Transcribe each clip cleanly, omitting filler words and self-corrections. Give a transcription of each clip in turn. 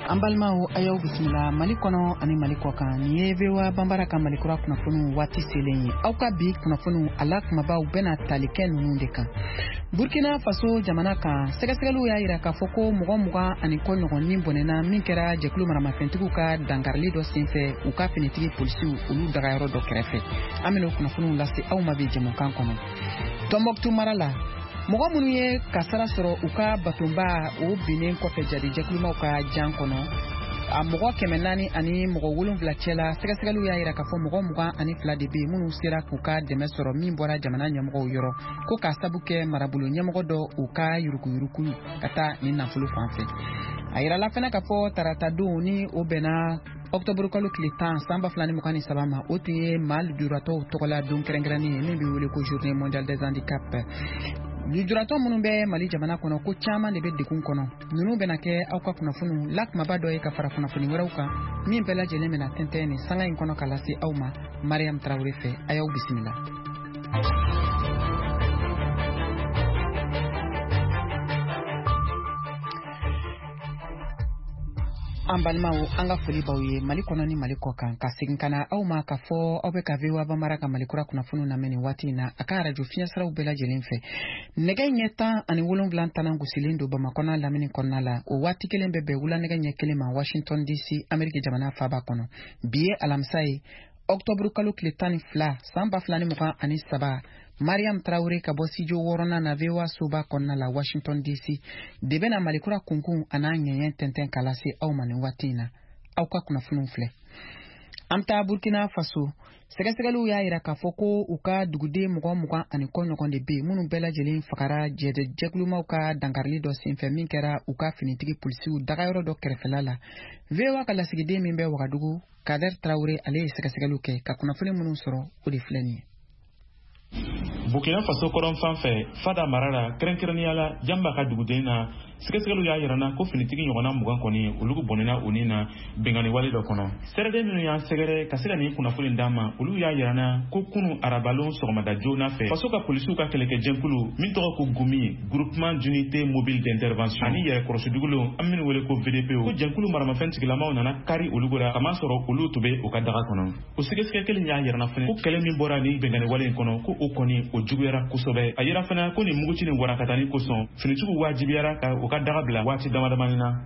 An balimaw, a y'aw bisimila Mali kɔnɔ ani Mali kɔkan. Nin ye VOA Banbara ka Malikura kunnafoniw waati selen ye. Aw ka bi kunnafoniw, a la kumabaw bɛna tali kɛ ninnu de kan. Burkina Faso jamana kan, sɛgɛsɛgɛliw y'a yira k'a fɔ ko mɔgɔ 20 ni kɔ ɲɔgɔn ni bɔnɛna min kɛra jɛkulu maramafɛntigiw ka dankarili dɔ senfɛ u ka finitigi polisiw olu dagayɔrɔ dɔ kɛrɛfɛ. An bɛna o kunnafoniw lase aw ma bi jɛmukan kɔnɔ. Tɔnbɔkutu mara la, mɔgɔ minnu ye kasara sɔrɔ u ka batonba o binnen kɔfɛ jadijɛkulumaw ka jan kɔnɔ, a mɔgɔ 470 cɛla, sɛgɛsɛgɛliw y'a yira k'a fɔ mɔgɔ 22 de bɛ yen minnu sera k'u ka dɛmɛ sɔrɔ min bɔra jamana ɲɛmɔgɔw yɔrɔ, ko k'a sabu kɛ marabolo ɲɛmɔgɔ dɔ u ka yuruguyurugu ka taa nin nafolo fan fɛ. A yirala fana k'a fɔ tarata don ni o bɛnna ɔktɔburu kalo tile 10 san 2023 ma, o tun ye maa lujuratɔw tɔgɔla don kɛrɛnkɛrɛnnen ye min bɛ wele ko Journée mondiale des handicaps. Lujuratɔ minnu bɛ Mali jamana kɔnɔ, ko caman de bɛ degun kɔnɔ. Ninnu bɛna kɛ aw ka kunnafoniw la kumaba dɔ ye ka fara kunnafoni wɛrɛw kan min bɛɛ lajɛlen bɛna tɛntɛn nin sanga in kɔnɔ ka lase aw ma Mariam Tarawele fɛ. A y'aw bisimila. An balimaw, an ka foli b'aw ye Mali kɔnɔ ni Mali kɔ kan. Ka segin ka na aw ma k'a fɔ aw bɛ ka VOA Banbara ka Malikura kunnafoniw lamɛn nin waati in na a ka arajo fiɲɛsiraw bɛɛ lajɛlen fɛ. Nɛgɛ ɲɛ 17 tanan gosilen don Bamakɔ n'a lamini kɔnɔna la. O waati kelen bɛ bɛn wula nɛgɛ ɲɛ 1 ma Washington DC, Ameriki jamana faaba kɔnɔ. Bi ye alamisa ye, ɔktɔburu kalo tile 12 san 2023. Mariam Tarawele ka bɔ studio wɔɔrɔnan na VOA soba kɔnɔna la Washington DC de bɛna Malikura kunkun a n'a ɲɛɲɛ tɛntɛn ka lase aw ma nin waati in na. Aw ka kunnafoniw filɛ. An bɛ taa Burkina Faso. Sɛgɛsɛgɛliw y'a yira k'a fɔ ko u ka duguden mɔgɔ 20 ni kɔ ɲɔgɔn de bɛ yen minnu bɛɛ lajɛlen fagara jɛkulumaw ka dankarili dɔ senfɛ min kɛra u ka finitigi polisiw dagayɔrɔ dɔ kɛrɛfɛla la. VOA ka lasigiden min bɛ Wagadugu, Kader Tarawele, ale ye sɛgɛsɛgɛliw kɛ ka kunnafoni minnu sɔrɔ, o de filɛ nin ye. Burkina Faso kɔrɔn fan fɛ, Fada mara la, kɛrɛnkɛrɛnnenya la Janba ka duguden na, sɛgɛsɛgɛliw y'a yira na ko finitigi ɲɔgɔnna 20 kɔni, olu bɔnɛna u ni na binkanni wale dɔ kɔnɔ. Sɛrɛden minnu y'an sɛgɛrɛ ka se ka nin kunnafoni d'an ma, olu y'a yira na ko kunu arabalon sɔgɔmada joona fɛ, faso ka polisiw ka kɛlɛkɛjɛkulu min tɔgɔ ko GUMI, Groupement d'unité mobile d'intervention, ani yɛrɛkɔrɔsidugulenw an minnu wele ko VDP, ko jɛnkulu maramafɛn tigilamaw nana kari olu la, kamasɔrɔ olu tun bɛ u ka daga kɔnɔ. O sɛgɛsɛgɛ kelen y'a yira na fɛnɛ ko kɛlɛ min bɔra nin binkanni wale in kɔnɔ, ko o kɔni o juguyara kosɛbɛ. A yira fana ko nin muguci ni warakatani kosɔn, finitigiw wajibiyara ka u ka daga bila waati dama damani na.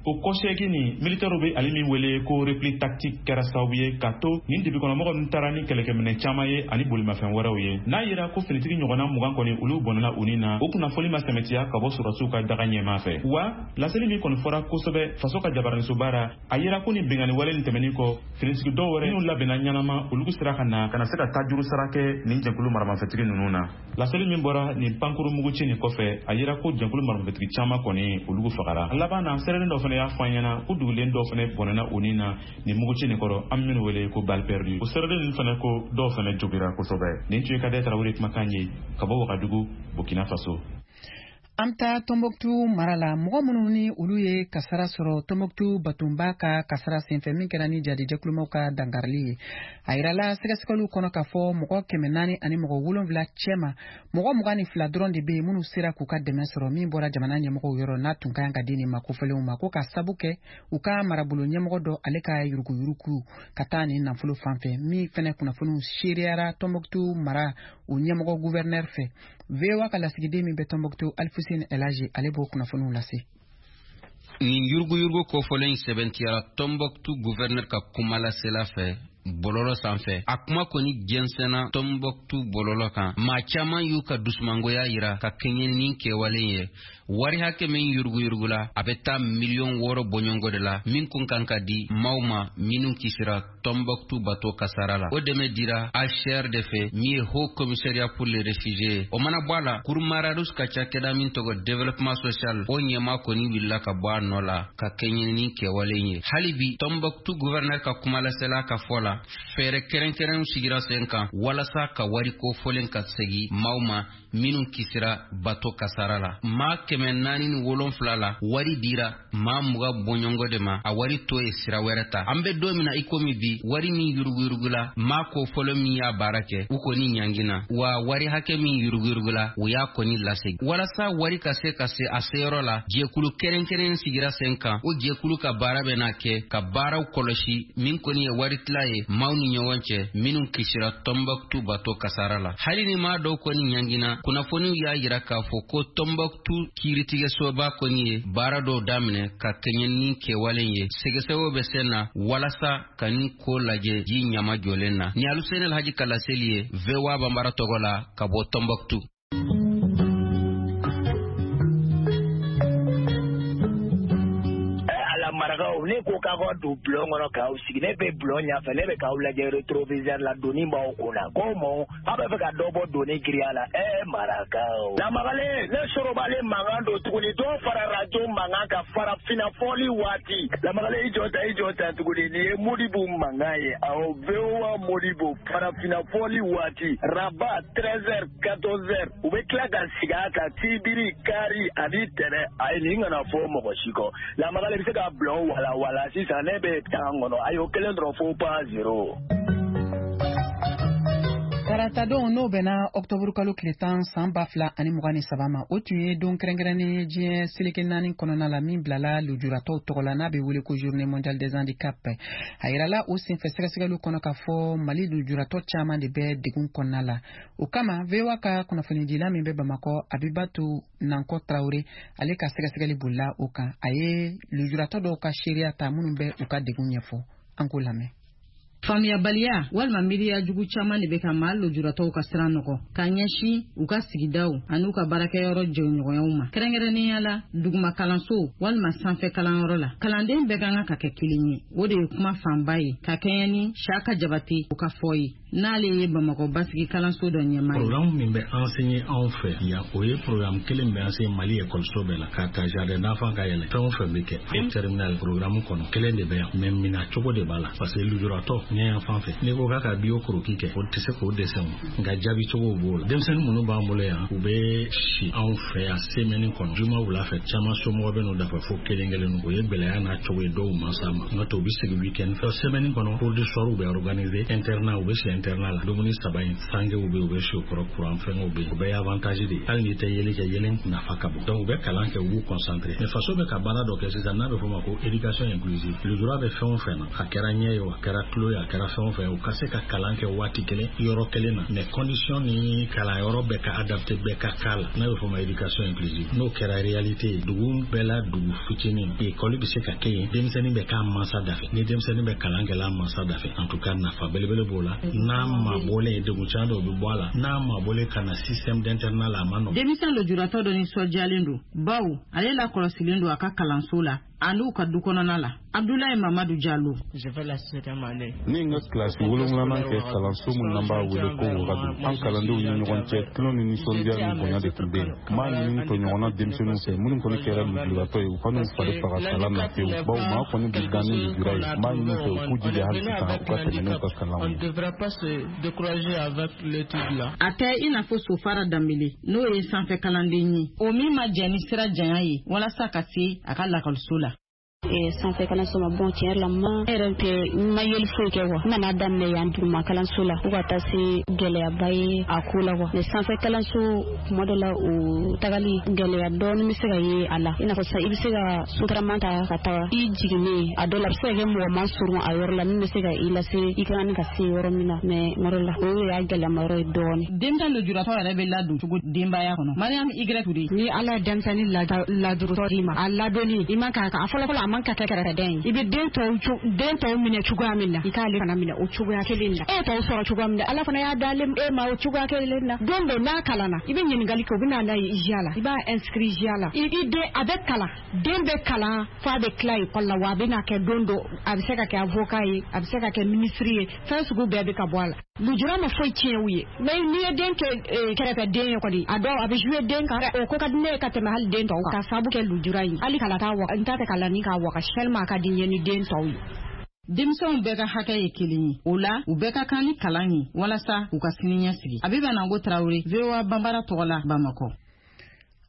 O kɔsɛgi ni militɛriw bɛ ale min wele ko repli tactique kɛra sababu ye ka to nin dibikɔnɔmɔgɔ ninnu taara ni kɛlɛkɛminɛ caman ye ani bolimafɛn wɛrɛw ye. N'a yira ko finitigi ɲɔgɔnna 20 kɔni, olu bɔnɛna u ni na, o kunnafoni ma sɛmɛtiya ka bɔ sɔrɔdasiw ka daga ɲɛmaa fɛ. Wa laseli min kɔni fɔra kosɛbɛ faso ka jabaranisoba ra, a yira ko nin binkanni wale nin tɛmɛnin kɔ, finitigi dɔw wɛrɛ minnu labɛnna ɲɛnama, olu sera ka na ka na se ka tajuru sara kɛ nin jɛkulu maramafɛntigi ninnu na. Laseli min bɔra nin pankuru muguci nin kɔfɛ, a yira ko jɛkulu maramafɛntigi caman kɔni, olu fagara. A laban na, sɛrɛnin dɔ fana y'a fɔ an ɲɛna ko dugulen dɔw fana bɔnɛna u ni na nin muguci nin kɔrɔ, an minnu wele ko balle perdue. O sɛrɛden ninnu fana ko dɔw fana jogira kosɛbɛ. Nin tun ye Kadɛ Tarawele kumakan ye ka bɔ Wagadugu, Burkina Faso. An bɛ taa Tɔnbɔkutu mara la. Mɔgɔ minnu ni olu ye kasara sɔrɔ Tɔnbɔkutu batonba ka kasara senfɛ min kɛra ni jadijɛkulumaw ka dankarili ye, a yirala sɛgɛsɛgɛliw kɔnɔ k'a fɔ mɔgɔ 470 cɛma, mɔgɔ 22 dɔrɔn de bɛ yen minnu sera k'u ka dɛmɛ sɔrɔ min bɔra jamana ɲɛmɔgɔw yɔrɔ, n'a tun ka kan ka di nin ma kofɔlenw ma, ko ka sabu kɛ u ka marabolo ɲɛmɔgɔ dɔ ale ka yuruguyurugu ka taa nin nafolo fan fɛ, min fɛnɛ kunnafoniw seereyara Tɔnbɔkutu mara o ɲɛmɔgɔ gouverneur fɛ. VOA ka lasigiden min bɛ Tɔnbɔkutu, Alifuseni Elaji, ale b'o kunnafoniw lase. Nin yuruguyurugu kofɔlen sɛbɛntiyara Tɔnbɔkutu gouverneur ka kumalasela fɛ bɔlɔlɔ sanfɛ. A kuma kɔni jɛnsɛnna Tɔnbɔkutu bɔlɔlɔ kan. Maa caman y'u ka dusumangoya yira ka kɛɲɛ ni kɛwalen ye. Wari hakɛ min yuruguyurugula, a bɛ taa miliyɔn 6 bɔɲɔgɔnko de la, min kun kan ka di maaw ma minnu kisira Tɔnbɔkutu bato kasara la. O dɛmɛ dira HCR de fɛ, min ye Haut Commissariat pour les réfugiés. O mana bɔ a la, Kurmararus ka cakɛda min tɔgɔ développement social, o ɲɛma kɔni wulila ka bɔ a nɔ la ka kɛɲɛ ni kɛwalen ye. Hali bi, Tɔnbɔkutu gouverneur ka kumalasela ka fɔ la. la, fɛɛrɛ kɛrɛnkɛrɛnw sigira sen kan walasa ka wari kofɔlen ka segin maaw ma minnu kisira bato kasara la. Maa 407 la, wari dira maa 20 bɔɲɔgɔn de ma, a wari to ye sira wɛrɛ ta. An bɛ don min na i komi bi, wari min yuruguyurugula, maa kofɔlen min y'a baara kɛ, u kɔni ɲangina, wa wari hakɛ min yuruguyurugula, u y'a kɔni lasegin. Walasa wari ka se ka se a seyɔrɔ la, jɛkulu kɛrɛnkɛrɛn sigira sen kan. O jɛkulu ka baara bɛna kɛ ka baaraw kɔlɔsi min kɔni ye wari tila ye maaw ni ɲɔgɔn cɛ minnu kisira Tɔnbɔkutu bato kasara la. Hali ni maa dɔw kɔni ɲangina, kunnafoniw y'a yira k'a fɔ ko Tɔnbɔkutu kiiritigɛsoba kɔni ye baara dɔw daminɛ ka kɛɲɛ ni kɛwalen ye. Sɛgɛsɛgɛw bɛ sen na walasa ka nin ko lajɛ ji ɲama jɔlen na. Ni Aluseni Alhaji ka laseli ye VOA Banbara tɔgɔ la ka bɔ Tɔnbɔkutu. Marakaw, ne ko k'aw ka don bulon kɔnɔ k'aw sigi, ne bɛ bulon ɲɛfɛ, ne bɛ k'aw lajɛ rétroviseur la, doni b'aw kun na. Ko mɔ, aw bɛ fɛ ka dɔ bɔ doni giriya la. Marakaw. Lamagalen, ne sorobalen mankan don tuguni, dɔw fara radio mankan kan farafinna fɔli waati. Lamagalen, i jɔ ta tuguni, nin ye Modibo mankan ye. Awɔ, VOA Modibo, farafinna fɔli waati. Rabat 13h 14h, u bɛ tila ka sigi a kan sibiri, kari ani tɛnɛ. Ayi, nin kana fɔ mɔgɔ si kɔ. Lamagalen bɛ se ka bulon wala wala sisan, ne bɛ tan kɔnɔ. Ayi, o kelen dɔrɔn fo pas zéro. Taratadon, n'o bɛnna ɔktɔburu kalo tile 10 san 2023 ma, o tun ye don kɛrɛnkɛrɛnnen ye diɲɛ seleke 4 kɔnɔna la min bilala lujuratɔw tɔgɔ la, n'a bɛ wele ko Journée mondiale des handicaps. A yirala o senfɛ sɛgɛsɛgɛliw kɔnɔ k'a fɔ Mali lujuratɔ caman de bɛ degun kɔnɔna la. O kama, VOA ka kunnafonidila min bɛ Bamakɔ, Abibatu Nankɔ Tarawele, ale ka sɛgɛsɛgɛli bolila o kan. A ye lujuratɔ dɔw ka seereya ta minnu bɛ u ka degun ɲɛfɔ. An k'o lamɛn. Faamuyabaliya walima miiriya jugu caman de bɛ ka maa lujuratɔw ka sira nɔgɔ ka ɲɛsin u ka sigidaw ani u ka baarakɛyɔrɔ jɛɲɔgɔnyaw ma, kɛrɛnkɛrɛnnenya la duguma kalanso walima sanfɛ kalanyɔrɔ la. Kalanden bɛɛ ka kan ka kɛ kelen ye, o de ye kuma fanba ye ka kɛɲɛ ni Saka Jabate o ka fɔ ye, n'ale ye Bamakɔ basigi kalanso dɔ ɲɛmaa ye. Programme min bɛ enseigner anw fɛ yan, o ye programme kelen bɛ enseigner Mali ekɔliso bɛɛ la, k'a ta jardin d'enfant ka yɛlɛ, fɛn o fɛn bɛ kɛ terminal programme kɔnɔ kelen de bɛ yan, mais mina cogo de b'a la, parce que lujuratɔ ɲɛ yan fan fɛ, n'i ko k'a ka bio croquis kɛ, o tɛ se k'o dessin, nka jaabi cogo b'o la. Denmisɛnnin minnu b'an bolo yan, u bɛ si anw fɛ yan semaine kɔnɔ, juma wula fɛ, caman somɔgɔ bɛ n'u dafa fo kelen kelen. O ye gɛlɛya n'a cogo ye dɔw mansa ma, n'o tɛ u bɛ segin week-end fɛ. Semaine kɔnɔ, cours du soir bɛ organiser, internat, u bɛ si internat la, dumuni 3 in sangew bɛ, u bɛ si o kɔrɔ, courant fɛngɛw bɛ yen, o bɛɛ ye avantage de ye. Hali n'i tɛ yeli kɛ, yelen nafa ka bon. Donc u bɛ kalan kɛ, u b'u concentrer. Mais faso bɛ ka baara dɔ kɛ sisan n'a bɛ fɔ o ma ko éducation inclusive. Lujura bɛ fɛn o fɛn na, a kɛra ɲɛ ye o, a kɛra tulo ye, a kɛra fɛn o fɛn, u ka se ka kalan kɛ waati kelen yɔrɔ kelen na, mais condition ni kalanyɔrɔ bɛɛ ka adapté, bɛɛ ka k'a la, n'a bɛ fɔ o ma éducation inclusive. N'o kɛra réalité ye, dugu bɛɛ la, dugu fitinin, école bɛ se ka kɛ yen, denmisɛnnin bɛ k'a mansa da fɛ, ni denmisɛnnin bɛ kalan kɛ la mansa da fɛ, en tout cas nafa belebele b'o la. N'a mabɔlen, degun caman dɔw bɛ bɔ a la, n'a mabɔlen ka na système d'internat la, a ma nɔgɔn. Denmisɛn lujuratɔ dɔ nisɔndiyalen don, bawo ale lakɔlɔsilen don a ka kalanso la an'u ka du kɔnɔna la. Abdoulaye Mamadou Diallo. Ne ye n ka kilasi 7nan kɛ kalanso min n'an b'a wele ko Wagadu. An kalandenw ni ɲɔgɔn cɛ, tulon ni nisɔndiya ni bonya de tun bɛ yen. N b'a ɲini tɔɲɔgɔnna denmisɛnninw fɛ minnu kɔni kɛra lujuratɔ ye, u ka n'u fari faga kalan na pewu, bawo maa kɔni bɛ dan ni lujura ye. N b'a ɲini fɛ u k'u jija hali sisan u ka tɛmɛ n'u ka kalanw ye. A tɛ i n'a fɔ Sofara Danbele, n'o ye sanfɛ kalanden ye, o min ma jɛn ni sira janya ye walasa ka se a ka lakɔliso la. Sanfɛ kalanso ma bɔn, tiɲɛ yɛrɛ la, ma yɛrɛ tɛ n ma yeli foyi kɛ kuwa. N nana daminɛ yan duguma kalanso la fo ka taa se gɛlɛyaba ye a ko la kuwa. Mais sanfɛ kalanso, kuma dɔ la, o tagali gɛlɛya dɔɔnin bɛ se ka ye a la, i n'a fɔ sisan i bɛ se ka sotarama ta ka taga i jiginnen, a dɔ la a bɛ se ka kɛ mɔgɔ ma surun a yɔrɔ la min bɛ se ka i lase i ka kan ka se yɔrɔ min na, mais kuma dɔ la o y'a gɛlɛyama yɔrɔ ye dɔɔnin. Denmisɛn lujuratɔ yɛrɛ bɛ ladon cogo denbaya kɔnɔ. Mariam Y Toure. Ni Ala ye denmisɛnnin ladurutɔ d'i ma, a ladonni i man kan a fɔlɔ fɔlɔ, a man ka kɛ kɛrɛfɛdɛn ye. I bɛ den tɔw minɛ cogoya min na, i k'ale fana minɛ o cogoya kelen na. E tɔw sɔrɔ cogoya min na, Ala fana y'a d'ale e ma o cogoya kelen na. Don dɔ n'a kalanna, i bɛ ɲininkali kɛ, o bɛ na n'a ye IA la, i b'a inscrit IA la. I den a bɛ kalan, den bɛ kalan f'a bɛ tila école la, wa a bɛ na kɛ don dɔ, a bɛ se ka kɛ avocat ye, a bɛ se ka kɛ ministre ye, fɛn sugu bɛɛ bɛ ka bɔ a la. Lujura ma foyi tiɲɛ u ye, mais n'i ye den kɛ kɛrɛfɛden ye kɔni, a dɔw a bɛ jouer den kan, o ko ka di ne ye ka tɛmɛ hali den tɔw kan, ka sababu kɛ lujura in. Hali kalan t'a wa, n t'a fɛ kalanni k'a wakasi, tellement a ka di n ye ni den tɔw ye. Denmisɛnw bɛɛ ka hakɛ ye kelen ye, o la u bɛɛ ka kan ni kalan ye walasa u ka sini ɲɛsigi. Abiba Nango Tarawele, VOA Banbara tɔgɔ la, Bamakɔ.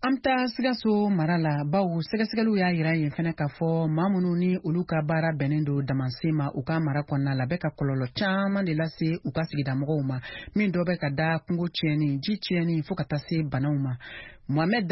An bɛ taa Sikaso mara la, bawo sɛgɛsɛgɛliw y'a yira yen fɛnɛ k'a fɔ maa minnu ni olu ka baara bɛnnen don damansen ma u ka mara kɔnɔna la, bɛ ka kɔlɔlɔ caman de lase u ka sigidamɔgɔw ma, min dɔ bɛ ka da kungo tiɲɛni, ji tiɲɛni, fo ka taa se banaw ma. Mohamɛd.